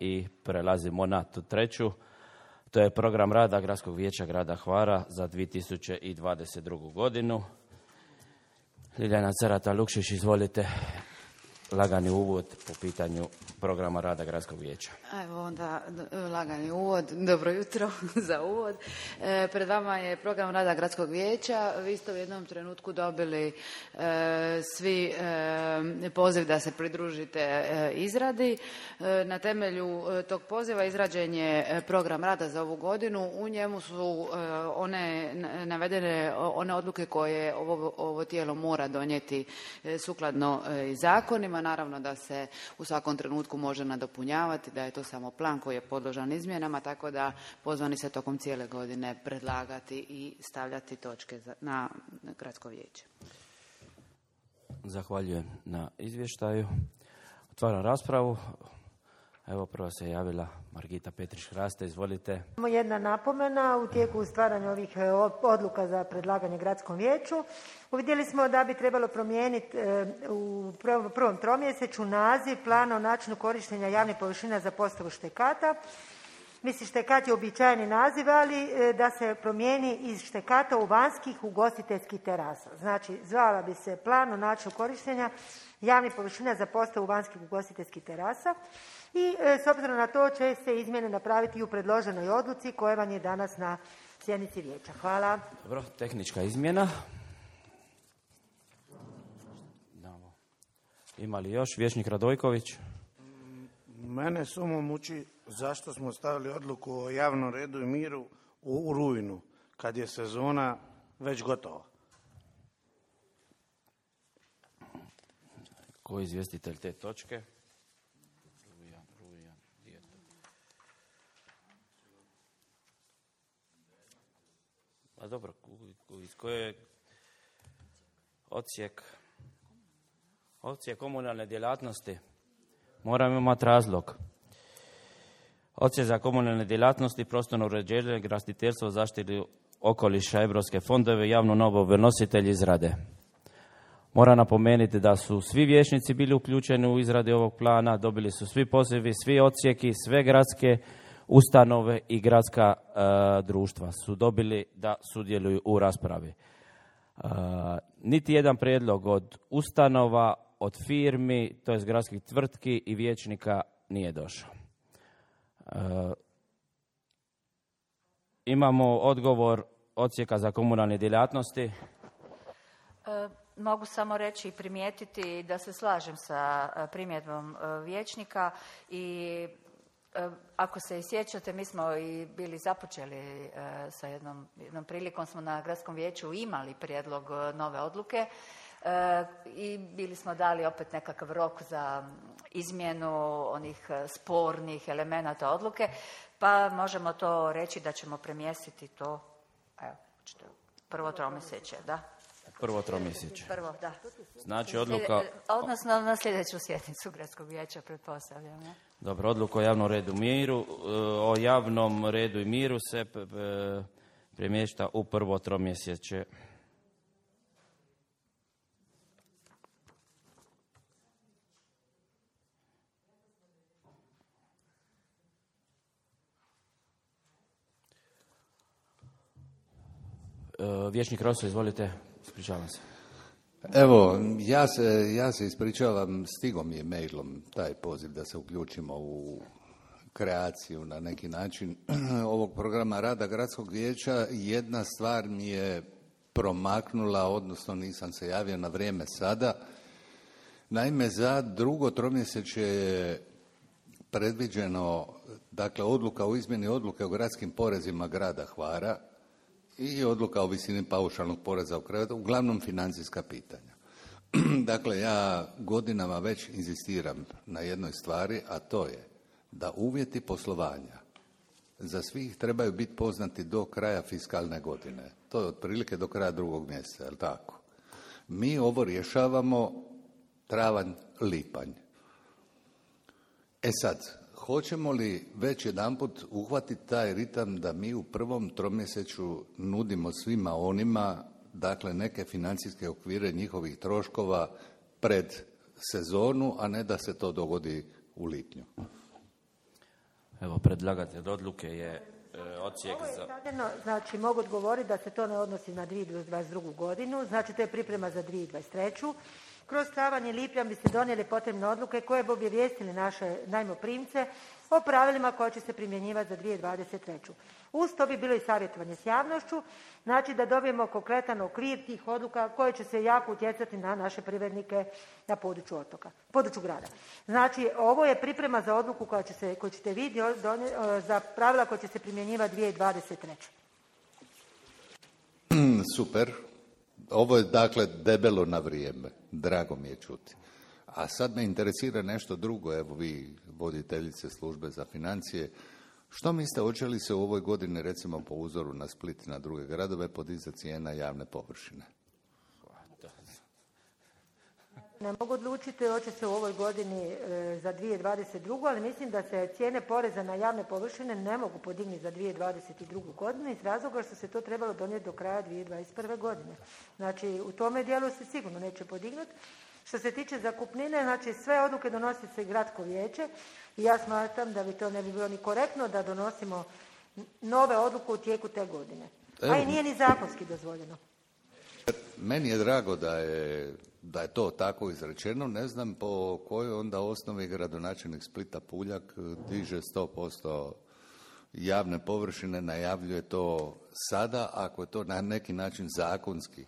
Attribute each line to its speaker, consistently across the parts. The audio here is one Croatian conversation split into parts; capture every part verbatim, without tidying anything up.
Speaker 1: i prelazimo na tu treću. To je program rada Gradskog vijeća grada Hvara za dvije tisuće dvadeset drugu godinu. Ljiljana Cerata-Lukšić, izvolite, lagani uvod po pitanju programa rada Gradskog vijeća.
Speaker 2: Evo onda lagani uvod, dobro jutro za uvod. E, pred vama je program rada Gradskog vijeća. Vi ste u jednom trenutku dobili e, svi e, poziv da se pridružite e, izradi. E, na temelju e, tog poziva izrađen je program rada za ovu godinu. U njemu su e, one navedene one odluke koje ovo, ovo tijelo mora donijeti e, sukladno e, zakonima. Naravno da se u svakom trenutku može nadopunjavati, da je to samo plan koji je podložan izmjenama, tako da pozvani se tokom cijele godine predlagati i stavljati točke na Gradsko vijeće.
Speaker 1: Zahvaljujem na izvještaju. Otvaram raspravu. Evo, prvo se javila Margita Petrić-Hraste, izvolite.
Speaker 3: Samo jedna napomena, u tijeku stvaranja ovih odluka za predlaganje Gradskom vijeću uvidjeli smo da bi trebalo promijeniti u prvom tromjesečju naziv plana o načinu korištenja javnih površina za postavu štekata. Mislim, štekat je uobičajeni naziv, ali da se promijeni iz štekata u vanjskih ugostiteljskih terasa. Znači, zvala bi se plan o načinu korištenja javnih površina za postavu vanjskih ugostiteljskih terasa. I s obzirom na to će se izmjene napraviti i u predloženoj odluci koja vam je danas na sjednici vijeća. Hvala.
Speaker 1: Dobro, tehnička izmjena. Ima li još? Vijećnik Radojković.
Speaker 4: Mene samo muči zašto smo stavili odluku o javnom redu i miru u rujnu, kad je sezona već gotova.
Speaker 1: Ko je izvjestitelj te točke? A dobro, iz koje odsjek, odsjek komunalne djelatnosti, moram imati razlog. Odsjek za komunalne djelatnosti, prostorno uređenje, graditeljstvo, zaštitu okoliša, evropske fondove, javnu nabavu, nositelji izrade. Moram napomenuti da su svi vijećnici bili uključeni u izradi ovog plana, dobili su svi pozivi, svi odsjeki, sve gradske ustanove i gradska uh, društva su dobili da sudjeluju u raspravi. Uh, niti jedan prijedlog od ustanova, od firmi, to jest gradskih tvrtki i vijećnika nije došao. Uh, imamo odgovor odsjeka za komunalne djelatnosti.
Speaker 5: Uh, mogu samo reći i primijetiti da se slažem sa primjedbom uh, vijećnika i ako se i sjećate, mi smo i bili započeli e, sa jednom, jednom prilikom, smo na Gradskom vijeću imali prijedlog nove odluke e, i bili smo dali opet nekakav rok za izmjenu onih spornih elemenata odluke, pa možemo to reći da ćemo premjestiti to, evo, prvo tromjesečje, da.
Speaker 1: Prvo tromjesečje.
Speaker 5: Prvo, da.
Speaker 1: Znači odluka...
Speaker 5: Odnosno na sljedeću sjednicu Gradskog vijeća, pretpostavljam. Ne?
Speaker 1: Dobro, odluka o javnom redu miru, o javnom redu i miru se premješta u prvo tromjesečje. Vijećnik Roso, izvolite, ispričavam se.
Speaker 6: Evo, ja se, ja se ispričavam, stigao mi je mailom taj poziv da se uključimo u kreaciju na neki način ovog programa rada Gradskog vijeća. Jedna stvar mi je promaknula, odnosno nisam se javio na vrijeme sada. Naime, za drugo tromjesečje je predviđeno, dakle, odluka o izmjeni odluke o gradskim porezima grada Hvara i odluka o visini paušalnog poreza u kraju, uglavnom financijska pitanja. Dakle, ja godinama već inzistiram na jednoj stvari, a to je da uvjeti poslovanja za svih trebaju biti poznati do kraja fiskalne godine. To je otprilike do kraja drugog mjeseca, je li tako? Mi ovo rješavamo travanj, lipanj. E sad, hoćemo li već jedanput uhvatiti taj ritam da mi u prvom tromjesečju nudimo svima onima, dakle, neke financijske okvire njihovih troškova pred sezonu, a ne da se to dogodi u lipnju?
Speaker 1: Evo, predlagatelj odluke je e, odsjek
Speaker 3: Ovo je
Speaker 1: za...
Speaker 3: stavljeno, znači mogu odgovoriti da se to ne odnosi na dvije tisuće dvadeset drugu godinu, znači to je priprema za dvije tisuće dvadeset treću. Kroz travanj i lipanj bi se donijeli potrebne odluke koje bi obavijestili naše najmoprimce o pravilima koja će se primjenjivati za dvije tisuće dvadeset treću. Uz to bi bilo i savjetovanje s javnošću, znači da dobijemo konkretan okvir tih odluka koje će se jako utjecati na naše privrednike na području otoka, području grada. Znači, ovo je priprema za odluku koja će se, koju ćete vi donijeti, za pravila koja će se primjenjivati dvije tisuće dvadeset treće.
Speaker 6: Super. Ovo je dakle debelo na vrijeme. Drago mi je čuti. A sad me interesira nešto drugo. Evo vi, voditeljice službe za financije. Što mislite, hoće li se u ovoj godini, recimo po uzoru na Split i na druge gradove, podizati cijena javne površine?
Speaker 3: Ne mogu odlučiti hoće se u ovoj godini e, za dvije tisuće dvadeset drugu. ali mislim da se cijene poreza na javne površine ne mogu podignuti za dvije tisuće dvadeset drugu. godinu iz razloga što se to trebalo donijeti do kraja dvije tisuće dvadeset prve. godine. Znači, u tome dijelu se sigurno neće podignuti. Što se tiče zakupnine, znači sve odluke donosi se gradsko vijeće i ja smatram da bi to ne bi bilo ni korektno da donosimo nove odluke u tijeku te godine. A i nije ni zakonski dozvoljeno.
Speaker 6: Meni je drago da je, da je to tako izrečeno. Ne znam po kojoj onda osnovi gradonačelnik Splita Puljak diže sto posto javne površine, najavljuje to sada, ako je to na neki način zakonski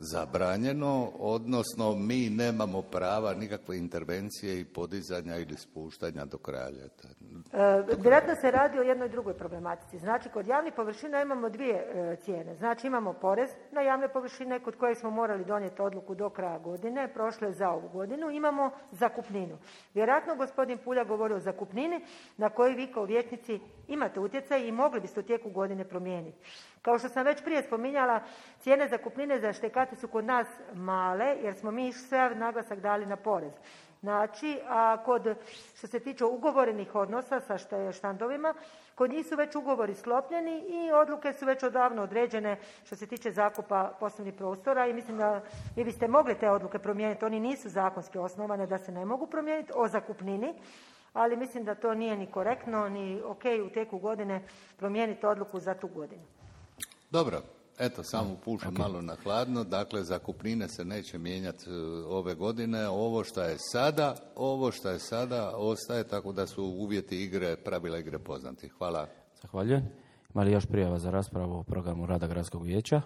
Speaker 6: zabranjeno, odnosno mi nemamo prava nikakve intervencije i podizanja ili spuštanja do kraja ljeta.
Speaker 3: E, vjerojatno se radi o jednoj drugoj problematici. Znači, kod javnih površina imamo dvije e, cijene. Znači, imamo porez na javne površine kod kojeg smo morali donijeti odluku do kraja godine, prošle za ovu godinu. Imamo zakupninu. Vjerojatno gospodin Pulja govori o zakupnini na koju vi kao vijećnici imate utjecaj i mogli biste u tijeku godine promijeniti. Kao što sam već prije spominjala, cijene zakupnine za štekate su kod nas male, jer smo mi sve naglasak dali na porez. Znači, a kod, što se tiče ugovorenih odnosa sa štandovima, kod njih su već ugovori sklopljeni i odluke su već odavno određene što se tiče zakupa poslovnih prostora i mislim da vi biste mogli te odluke promijeniti. Oni nisu zakonski osnovane da se ne mogu promijeniti o zakupnini, ali mislim da to nije ni korektno, ni ok u tijeku godine promijeniti odluku za tu godinu.
Speaker 6: Dobro, eto, samo pušem okay. malo na hladno. Dakle, zakupnine se neće mijenjati ove godine. Ovo što je sada, ovo što je sada ostaje, tako da su uvjeti igre, pravila igre poznati. Hvala.
Speaker 1: Zahvaljujem. Ima li još prijava za raspravu o programu rada Gradskog vijeća?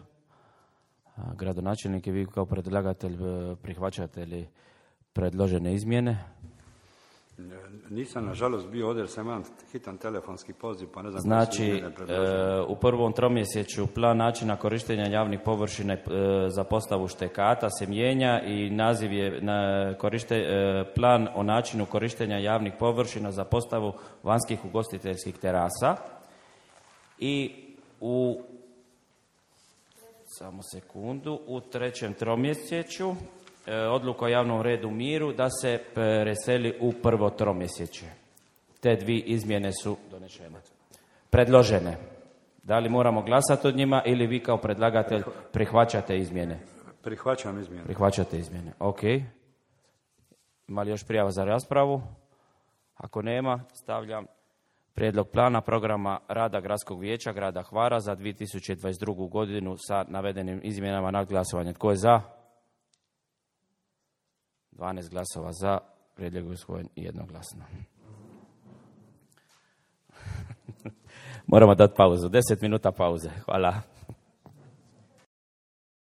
Speaker 1: Gradonačelnik i vi kao predlagatelj prihvaćate li predložene izmjene?
Speaker 7: Nisam, nažalost, bio ovdje jer sam imam hitan telefonski poziv, pa ne znam...
Speaker 1: Znači, e, u prvom tromjesečju plan načina korištenja javnih površina e, za postavu štekata se mijenja i naziv je na korište, e, plan o načinu korištenja javnih površina za postavu vanjskih ugostiteljskih terasa. I u... Samo sekundu. U trećem tromjesečju odluka o javnom redu miru da se preseli u prvo tromjesečje. Te dvije izmjene su donešene. Predložene. Da li moramo glasati od njima ili vi kao predlagatelj prihvaćate izmjene?
Speaker 7: Prihvaćam izmjene.
Speaker 1: Prihvaćate izmjene, ok. Ima li još prijava za raspravu? Ako nema, stavljam prijedlog plana programa rada Gradskog vijeća grada Hvara za dvije tisuće dvadeset drugu. godinu sa navedenim izmjenama na glasovanje. Tko je za? dvanaest glasova za, prijedlog je usvojen jednoglasno. Moramo dati pauzu, deset minuta pauze. Hvala.